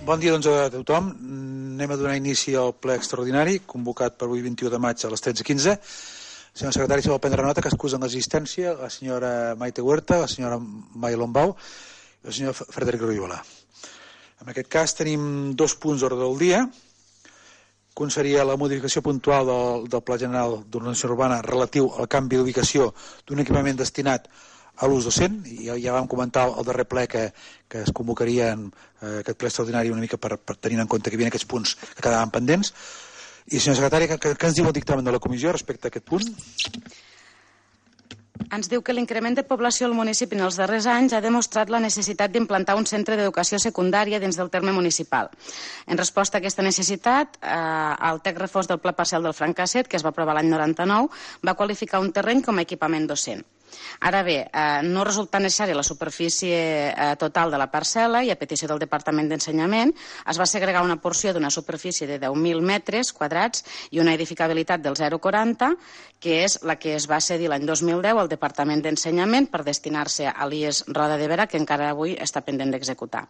Bon dia doncs, a tothom. Anem a donar inici al ple extraordinari, convocat per avui 21 de maig a les 13:15. Senyor secretari, si vol prendre nota que excusen l'existència la senyora Maite Huerta, la senyora Mai Lombau i el senyor Frederic Royola. En aquest cas tenim 2 punts d'ordre del dia. Un seria la modificació puntual del Pla General d'Ordenació Urbana relatiu al canvi d'ubicació d'un equipament destinat a l'ús docent, i ja vam comentar al darrer ple que es convocaria en aquest ple extraordinari una mica per tenir en compte que hi havia aquests punts que quedaven pendents. I senyor secretari, què ens diu el dictamen de la comissió respecte a aquest punt? Ens diu que l'increment de població al municipi en els darrers anys ha demostrat la necessitat d'implantar un centre d'educació secundària dins del terme municipal. En resposta a aquesta necessitat, el text refós del Pla Parcial del Francasset, que es va aprovar l'any 99, va qualificar un terreny com a equipament docent. Ara bé, no resulta necessària la superfície total de la parcel·la i a petició del Departament d'Ensenyament es va segregar una porció d'una superfície de 10.000 metres quadrats i una edificabilitat del 0,40, que és la que es va cedir l'any 2010 al Departament d'Ensenyament per destinar-se a l'IES Roda de Berà, que encara avui està pendent d'executar.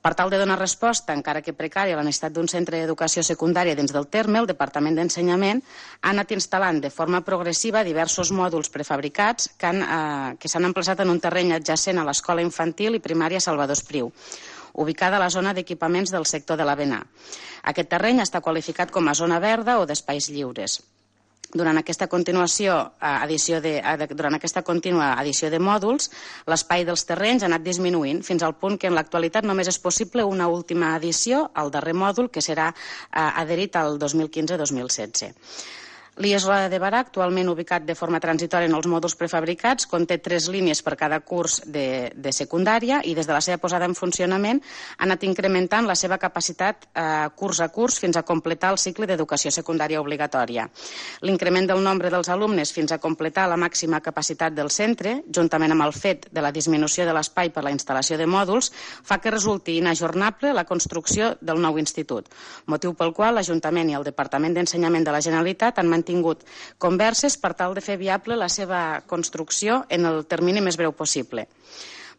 Per tal de donar resposta, encara que precària, a la necessitat d'un centre d'educació secundària dins del terme, el Departament d'Ensenyament ha anat instal·lant de forma progressiva diversos mòduls prefabricats que s'han emplaçat en un terreny adjacent a l'Escola Infantil i Primària Salvador Espriu, ubicada a la zona d'equipaments del sector de l'Avenar. Aquest terreny està qualificat com a zona verda o d'espais lliures. Durant aquesta contínua addició de mòduls, l'espai dels terrenys ha anat disminuint fins al punt que en l'actualitat només és possible una última addició al darrer mòdul, que serà adherit al 2015-2016. L'IES Roda de Berà, actualment ubicat de forma transitòria en els mòduls prefabricats, conté 3 línies per cada curs de secundària i des de la seva posada en funcionament ha anat incrementant la seva capacitat curs a curs fins a completar el cicle d'educació secundària obligatòria. L'increment del nombre dels alumnes fins a completar la màxima capacitat del centre, juntament amb el fet de la disminució de l'espai per la instal·lació de mòduls, fa que resulti inajornable la construcció del nou institut, motiu pel qual l'Ajuntament i el Departament d'Ensenyament de la Generalitat han tingut converses per tal de fer viable la seva construcció en el termini més breu possible.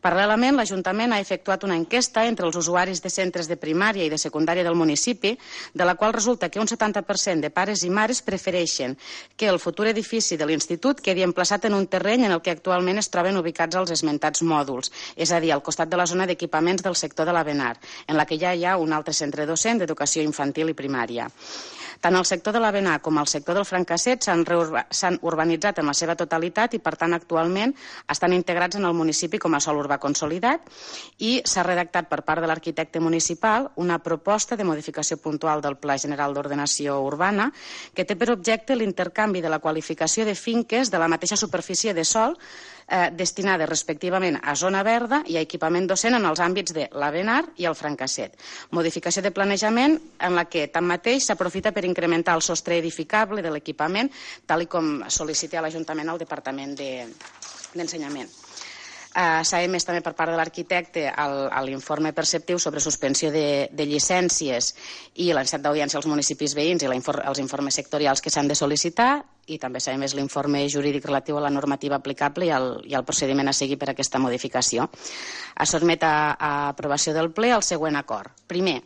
Paral·lelament, l'Ajuntament ha efectuat una enquesta entre els usuaris de centres de primària i de secundària del municipi, de la qual resulta que un 70% de pares i mares prefereixen que el futur edifici de l'institut quedi emplaçat en un terreny en el que actualment es troben ubicats els esmentats mòduls, és a dir, al costat de la zona d'equipaments del sector de l'Avenar, en la que ja hi ha un altre centre docent d'educació infantil i primària. Tant el sector de l'Avenar com el sector del Francasset s'han urbanitzat en la seva totalitat i, per tant, actualment estan integrats en el municipi com a sòl urbà consolidat i s'ha redactat per part de l'arquitecte municipal una proposta de modificació puntual del Pla General d'Ordenació Urbana que té per objecte l'intercanvi de la qualificació de finques de la mateixa superfície de sòl destinades respectivament a zona verda i a equipament docent en els àmbits de l'Avenar i el Francasset. Modificació de planejament en la que, tanmateix, s'aprofita per incrementar el sostre edificable de l'equipament, tal com sol·licita a l'Ajuntament al Departament d'Ensenyament. S'ha emès també per part de l'arquitecte l'informe perceptiu sobre suspensió de llicències i la necessitat d'audiència als municipis veïns i els informes sectorials que s'han de sol·licitar, i també s'ha emès l'informe jurídic relatiu a la normativa aplicable i al procediment a seguir per a aquesta modificació. Es sotmet a aprovació del ple el següent acord. Primer,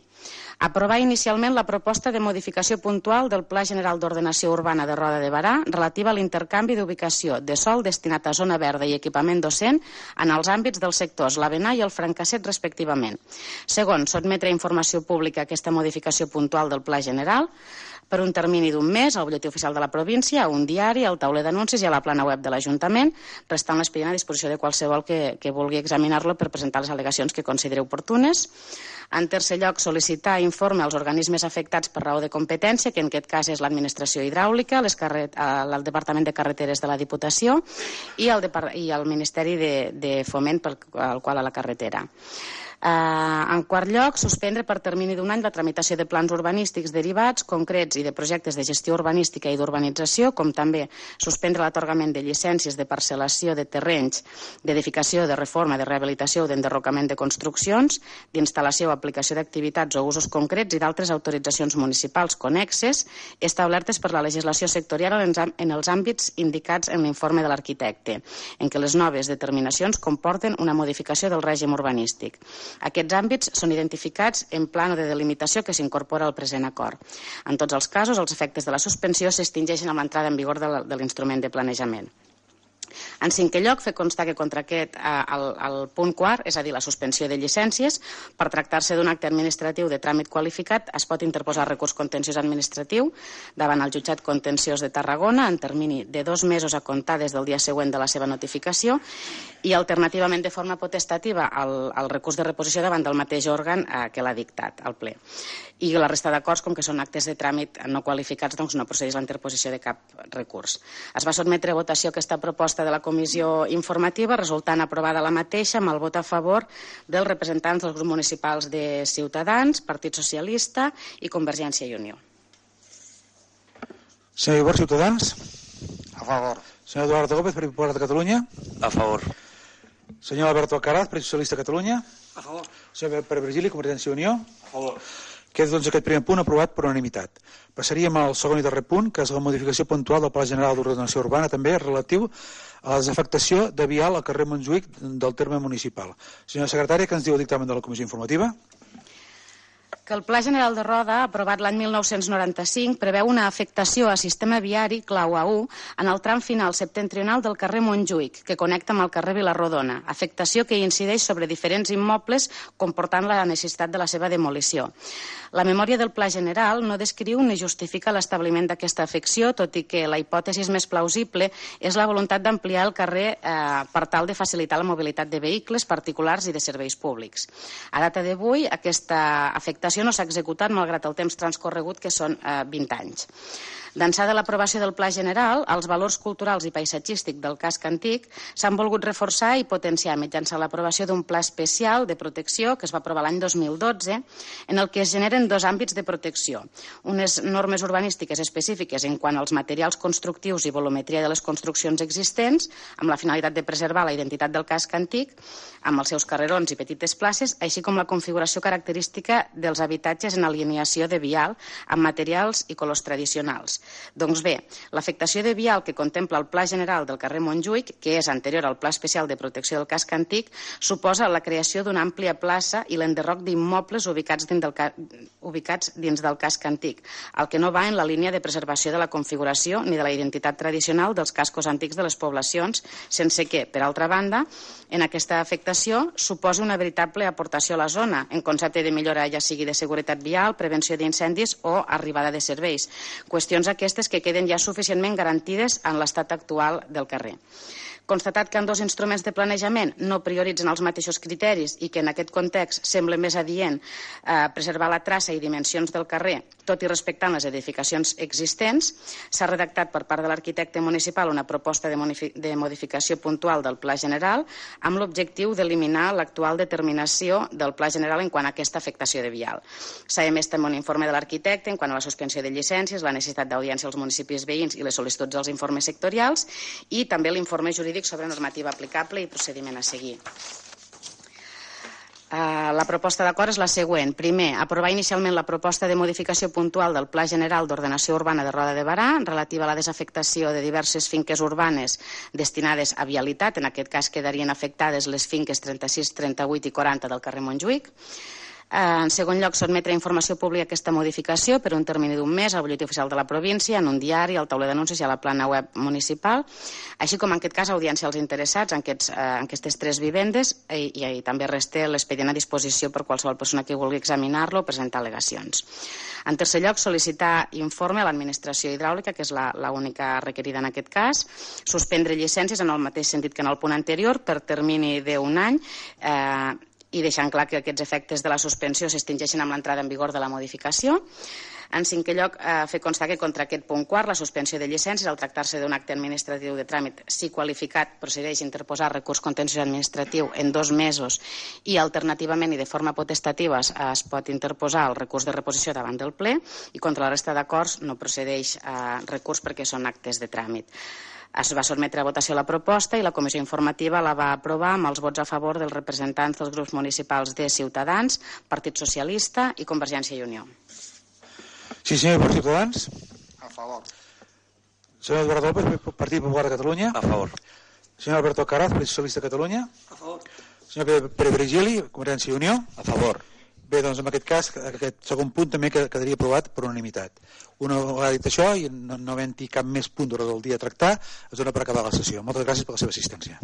aprovar inicialment la proposta de modificació puntual del Pla General d'Ordenació Urbana de Roda de Berà relativa a l'intercanvi d'ubicació de sòl destinat a zona verda i equipament docent en els àmbits dels sectors l'Avenar i el Francasset respectivament. Segon, sotmetre a informació pública aquesta modificació puntual del Pla General per un termini d'un mes al Butlletí Oficial de la Província, a un diari, al tauler d'anuncis i a la plana web de l'Ajuntament, restant l'expedient a disposició de qualsevol que vulgui examinar-lo per presentar les al·legacions que consideri oportunes. En tercer lloc, sol·licitar informe als organismes afectats per raó de competència, que en aquest cas és l'Administració Hidràulica, el Departament de Carreteres de la Diputació i el Ministeri de Foment pel qual a la carretera. En quart lloc, suspendre per termini d'un any la tramitació de plans urbanístics derivats, concrets i de projectes de gestió urbanística i d'urbanització, com també suspendre l'atorgament de llicències de parcel·lació de terrenys, d'edificació, de reforma, de rehabilitació o d'enderrocament de construccions, d'instal·lació o aplicació d'activitats o usos concrets i d'altres autoritzacions municipals connexes establertes per la legislació sectorial en els àmbits indicats en l'informe de l'arquitecte, en què les noves determinacions comporten una modificació del règim urbanístic. Aquests àmbits són identificats en plano de delimitació que s'incorpora al present acord. En tots els casos, els efectes de la suspensió s'extingeixen amb l'entrada en vigor de l'instrument de planejament. En cinquè lloc, fer constar que contra aquest, el punt quart, és a dir, la suspensió de llicències, per tractar-se d'un acte administratiu de tràmit qualificat, es pot interposar recurs contenciós administratiu davant el jutjat contenciós de Tarragona en termini de 2 mesos a comptar des del dia següent de la seva notificació i, alternativament, de forma potestativa, el recurs de reposició davant del mateix òrgan que l'ha dictat, al ple. I la resta d'acords, com que són actes de tràmit no qualificats, doncs no procedeix la interposició de cap recurs. Es va sotmetre a votació aquesta proposta de la comissió informativa, resultant aprovada la mateixa amb el vot a favor dels representants dels grups municipals de Ciutadans, Partit Socialista i Convergència i Unió. Senyor Ibor, Ciutadans. A favor. Senyor Eduardo Gómez, Partit Popular de Catalunya. A favor. Senyor Alberto Alcaraz, Partit Socialista de Catalunya. A favor. Senyor Pere Virgili, Convergència i Unió. A favor. Queda doncs aquest primer punt aprovat per unanimitat. Passaríem al segon i darrer punt, que és la modificació puntual del Pla General d'Ordenació Urbana, també relatiu a la desafectació de vial al carrer Montjuïc del terme municipal. Senyora secretària, què ens diu el dictamen de la Comissió Informativa? Que el Pla General de Roda, aprovat l'any 1995, preveu una afectació a sistema viari clau A1 en el tram final septentrional del carrer Montjuïc, que connecta amb el carrer Vilarrodona, afectació que incideix sobre diferents immobles, comportant la necessitat de la seva demolició. La memòria del Pla General no descriu ni justifica l'establiment d'aquesta afecció, tot i que la hipòtesi més plausible és la voluntat d'ampliar el carrer per tal de facilitar la mobilitat de vehicles particulars i de serveis públics. A data d'avui, aquesta afectació no s'ha executat malgrat el temps transcorregut, que són 20 anys. D'ençà de l'aprovació del Pla General, els valors culturals i paisatgístics del casc antic s'han volgut reforçar i potenciar mitjançant l'aprovació d'un pla especial de protecció que es va aprovar l'any 2012, en el que es generen 2 àmbits de protecció. Unes normes urbanístiques específiques en quant als materials constructius i volumetria de les construccions existents, amb la finalitat de preservar la identitat del casc antic, amb els seus carrerons i petites places, així com la configuració característica dels habitatges en alineació de vial amb materials i colors tradicionals. Doncs bé, l'afectació de vial que contempla el Pla General del carrer Montjuïc, que és anterior al Pla Especial de Protecció del Casc Antic, suposa la creació d'una àmplia plaça i l'enderroc d'immobles ubicats dins del casc antic, el que no va en la línia de preservació de la configuració ni de la identitat tradicional dels cascos antics de les poblacions, sense que, per altra banda, en aquesta afectació suposa una veritable aportació a la zona, en concepte de millora ja sigui de seguretat vial, prevenció d'incendis o arribada de serveis, qüestions aquestes que queden ja suficientment garantides en l'estat actual del carrer. Constatat que ambdós instruments de planejament no prioritzen els mateixos criteris i que en aquest context sembla més adient preservar la traça i dimensions del carrer, tot i respectant les edificacions existents, s'ha redactat per part de l'arquitecte municipal una proposta de modificació puntual del Pla General amb l'objectiu d'eliminar l'actual determinació del Pla General en quant a aquesta afectació de vial. S'ha emès també un informe de l'arquitecte en quant a la suspensió de llicències, la necessitat d'audiència als municipis veïns i les sol·licituds dels informes sectorials i també l'informe jurídic sobre normativa aplicable i procediment a seguir. La proposta d'acord és la següent. Primer, aprovar inicialment la proposta de modificació puntual del Pla General d'Ordenació Urbana de Roda de Berà relativa a la desafectació de diverses finques urbanes destinades a vialitat. En aquest cas quedarien afectades les finques 36, 38 i 40 del carrer Montjuïc. En segon lloc, sotmetre a informació pública aquesta modificació per un termini d'1 mes al butlletí oficial de la província, en un diari, al tauler d'anuncis i a la plana web municipal, així com en aquest cas audiència als interessats en aquestes 3 vivendes i també resta l'expedient a disposició per qualsevol persona que vulgui examinar-lo o presentar al·legacions. En tercer lloc, sol·licitar informe a l'administració hidràulica, que és l'única requerida en aquest cas, suspendre llicències en el mateix sentit que en el punt anterior per termini d'1 any i deixant clar que aquests efectes de la suspensió s'extingeixen amb l'entrada en vigor de la modificació. En cinquè lloc, fer constar que contra aquest punt quart, la suspensió de llicències, al tractar-se d'un acte administratiu de tràmit, si qualificat, procedeix a interposar recurs contenciós administratiu en 2 mesos i alternativament i de forma potestativa es pot interposar el recurs de reposició davant del ple i contra la resta d'acords no procedeix recurs perquè són actes de tràmit. Es va sotmetre a votació la proposta i la comissió informativa la va aprovar amb els vots a favor dels representants dels grups municipals de Ciutadans, Partit Socialista i Convergència i Unió. Sí, senyor, per Ciutadans. A favor. Senyor Eduardo López, Partit Popular de Catalunya. A favor. Senyor Alberto Alcaraz, Partit Socialista de Catalunya. A favor. Senyor Pere Virgili, Convergència i Unió. A favor. Bé, doncs en aquest cas, aquest segon punt també quedaria aprovat per unanimitat. Una vegada dit això, i no havent-hi cap més punt durant el dia a tractar, es dona per acabar la sessió. Moltes gràcies per la seva assistència.